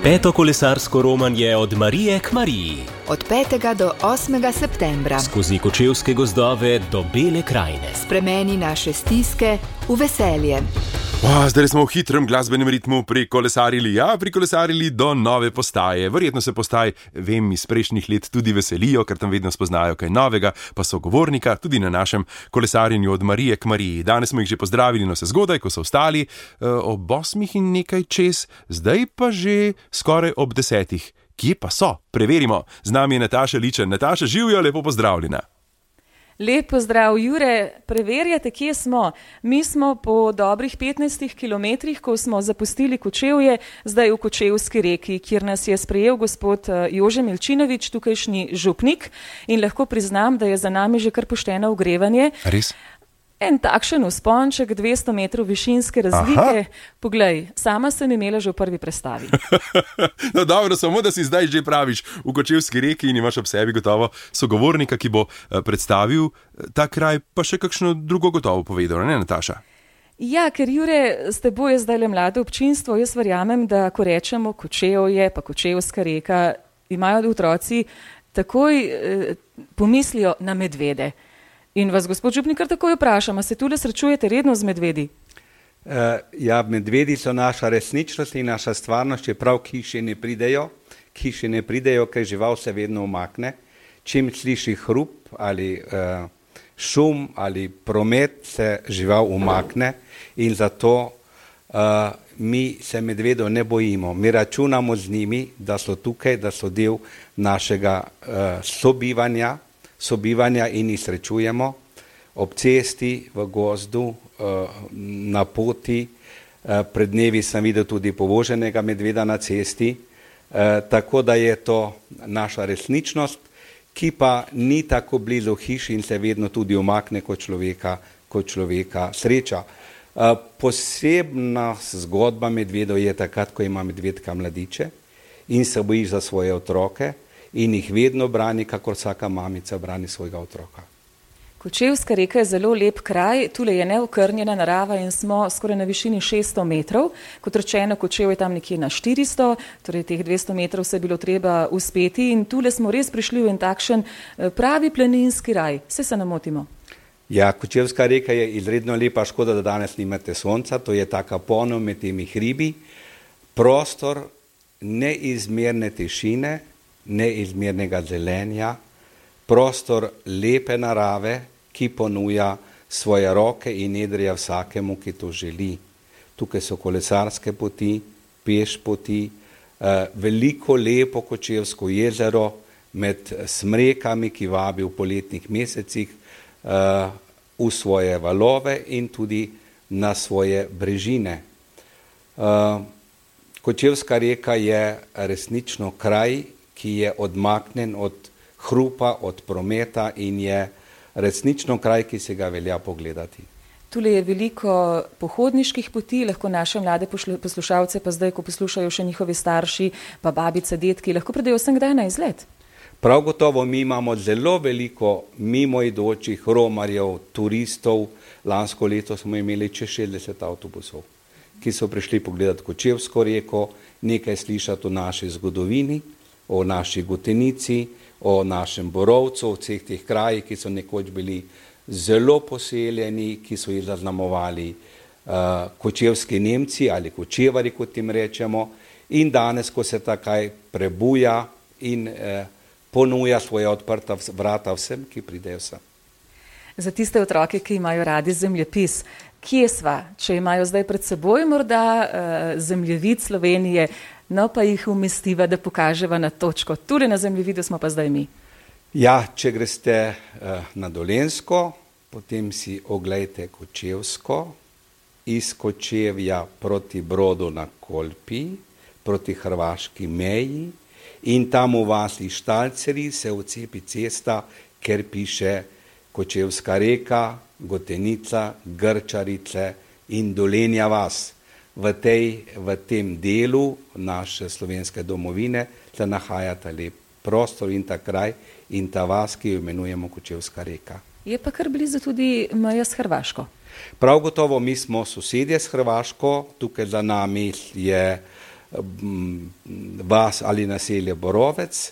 Peto kolesarsko romanje od Marije k Mariji. Od 5. do 8. septembra. Skozi Kočevske gozdove do Bele krajine. Spremeni naše stiske v veselje. Zdaj smo v hitrem glasbenem ritmu prikolesarili do nove postaje. Verjetno se postaj, vem, iz prejšnjih let tudi veselijo, ker tam vedno spoznajo kaj novega, pa sogovornika tudi na našem kolesarjenju od Marije k Mariji. Danes smo jih že pozdravili, no se zgodaj, ko so vstali, ob 8 in nekaj čez, zdaj pa že skoraj ob 10. Kje pa so? Preverimo. Z nami je Nataša Ličen. Nataša, živjo, lepo pozdravljena. Lep pozdrav, Jure. Preverjate, kje smo. Mi smo po dobrih 15 kilometrih, ko smo zapustili Kočevje, zdaj v Kočevski reki, kjer nas je sprejel gospod Jože Milčinovič, tukajšnji župnik, in lahko priznam, da je za nami že kar pošteno ogrevanje. Res? En takšen vzponček, 200 metrov višinske razlike. Aha. Poglej, sama sem imela že v prvi prestavi. No dobro, samo da si zdaj že praviš v Kočevski reki in imaš ob sebi gotovo sogovornika, ki bo predstavil ta kraj, pa še kakšno drugo gotovo povedal, ne, Nataša? Ja, ker Jure, s teboj je zdaj le mlado občinstvo, jaz verjamem, da ko rečemo Kočevje, pa Kočevska reka, imajo otroci takoj pomislijo na medvede. In vas, gospod župnik, kar takoj vprašam, a se tule srečujete redno z medvedi? Ja, medvedi so naša resničnost in naša stvarnost, čeprav hiše ne pridejo, ker žival se vedno umakne. Čim sliši hrup ali šum ali promet, se žival umakne in zato mi se medvedov ne bojimo. Mi računamo z njimi, da so tukaj, da so del našega sobivanja in jih srečujemo ob cesti, v gozdu, na poti. Pred dnevi sem videl tudi povoženega medveda na cesti, tako da je to naša resničnost, ki pa ni tako blizu hiši in se vedno tudi umakne kot človeka sreča. Posebna zgodba medvedov je takrat, ko ima medvedka mladiče in se boji za svoje otroke, in jih vedno brani, kakor vsaka mamica brani svojega otroka. Kočevska reka je zelo lep kraj, tule je neokrnjena narava in smo skoraj na višini 600 metrov. Kot rečeno, Kočev je tam nekje na 400, torej teh 200 metrov se je bilo treba uspeti in tule smo res prišli v en takšen pravi planinski raj. Se ne motimo? Ja, Kočevska reka je izredno lepa, škoda, da danes nimate sonca, to je taka ponev med temi hribi, prostor neizmerne tišine, neizmernega zelenja, prostor lepe narave, ki ponuja svoje roke in nedrja vsakemu, ki to želi. Tukaj so kolesarske poti, peš poti, veliko lepo Kočevsko jezero med smrekami, ki vabi v poletnih mesecih v svoje valove in tudi na svoje brežine. Kočevska reka je resnično kraj, ki je odmaknen od hrupa, od prometa in je resnično kraj, ki se ga velja pogledati. Tule je veliko pohodniških poti, lahko naše mlade poslušalce, pa zdaj, ko poslušajo še njihovi starši, pa babice, detki, lahko pridejo vsem kdaj na izlet. Prav gotovo mi imamo zelo veliko mimoidočih romarjev, turistov. Lansko leto smo imeli čez 60 avtobusov, ki so prišli pogledati Kočevsko reko, nekaj slišati o naši zgodovini, o naši Gotenici, o našem Borovcu, o vseh teh krajih, ki so nekoč bili zelo poseljeni, ki so jih zaznamovali kočevski Nemci ali kočevari, kot jim rečemo, in danes, ko se ta kraj prebuja in ponuja svoja odprta vrata vsem, ki pridejo sem. Za tiste otroke, ki imajo radi zemljepis, kje sva, če imajo zdaj pred seboj morda zemljevid Slovenije, no pa jih umestiva, da pokaževa na točko. Tule na zemljevidu smo pa zdaj mi. Ja, če greste na Dolenjsko, potem si oglejte Kočevsko, iz Kočevja proti Brodu na Kolpi, proti hrvaški meji in tam v vasi Štalceri se vcepi cesta, ker piše Kočevska reka, Gotenica, Grčarice in Dolenja vas. V tem delu naše slovenske domovine se nahaja ta lep prostor in ta kraj in ta vas, ki jo imenujemo Kočevska reka. Je pa kar blizu tudi meja s Hrvaško. Prav gotovo mi smo sosedje s Hrvaško, tukaj za nami je vas ali naselje Borovec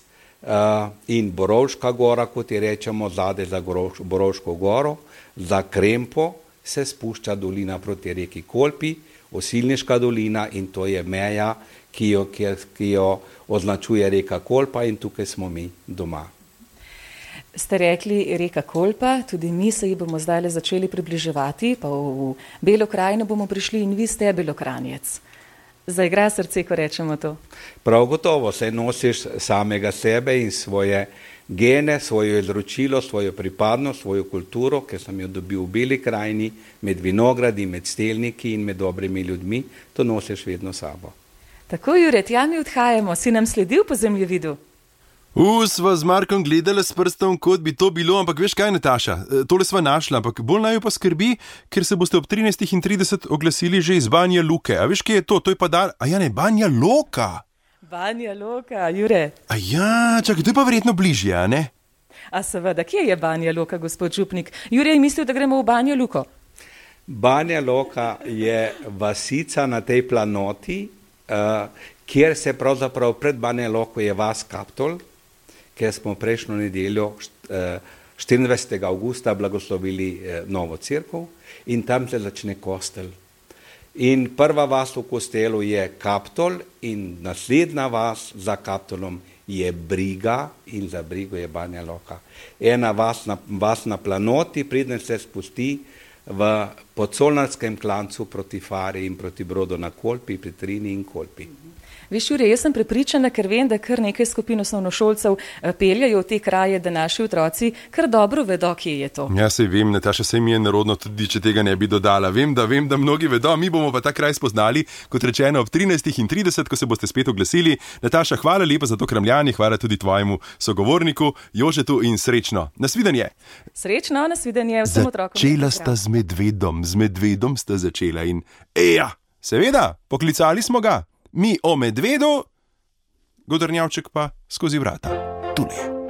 in Borovška gora, kot je rečemo, zadaj za Borovško goro, za Krempo se spušča dolina proti reki Kolpi, Osilniška dolina, in to je meja, ki jo označuje reka Kolpa, in tukaj smo mi doma. Ste rekli reka Kolpa, tudi mi se ji bomo zdaj začeli približevati, pa v Belo krajino bomo prišli in vi ste Belokranjec. Zaigra srce, ko rečemo to? Prav gotovo, saj nosiš samega sebe in svoje gene, svoje izročilo, svojo pripadnost, svojo kulturo, ki sem jo dobil v Beli krajini, med vinogradi, med stelniki in med dobrimi ljudmi, to nosiš vedno sabo. Tako, Jure, tja mi odhajamo, si nam sledil po zemljevidu? Sva z Markom gledala s prstom, kot bi to bilo, ampak veš kaj, Nataša, tole sva našla, ampak bolj naj jo pa skrbi, ker se boste ob 13:30 oglasili že iz Banja Luke. A veš, kje je to? To je pa Banja Loka. Banja Loka, Jure. Čakaj, to je pa verjetno bližje, a ne? A seveda, kje je Banja Loka, gospod župnik? Jure je mislil, da gremo v Banjo Luko. Banja Loka je vasica na tej planoti, kjer se pravzaprav pred Banja Loko je vas Kaptol, kjer smo prejšnjo nedeljo 24. avgusta blagoslovili novo cerkev, in tam se začne kostel. In prva vas v kostelu je Kaptol in naslednja vas za Kaptolom je Briga in za Brigo je Banja Loka. Ena vas na planoti, preden se spusti v Podsolnarskem klancu proti Fari in proti Brodu na Kolpi, pri Trini in Kolpi. Veš, Jure, jaz sem prepričana, ker vem, da kar nekaj skupin osnovnošolcev peljajo v te kraje, da naši otroci kar dobro vedo, kje je to. Ja, sej vem, Nataša, sej mi je nerodno tudi, če tega ne bi dodala. Vem, da mnogi vedo, mi bomo pa ta kraj spoznali, kot rečeno, ob 13:30, ko se boste spet oglasili. Nataša, hvala lepa za to kramljanje, hvala tudi tvojemu sogovorniku, Jožetu, in srečno. Nasvidenje. Srečno, nasvidenje vsem otrokom. Začela sta z medvedom sta začela in seveda, poklicali smo ga. Mi o medvedu, Godrnjavček pa skozi vrata. Tule je.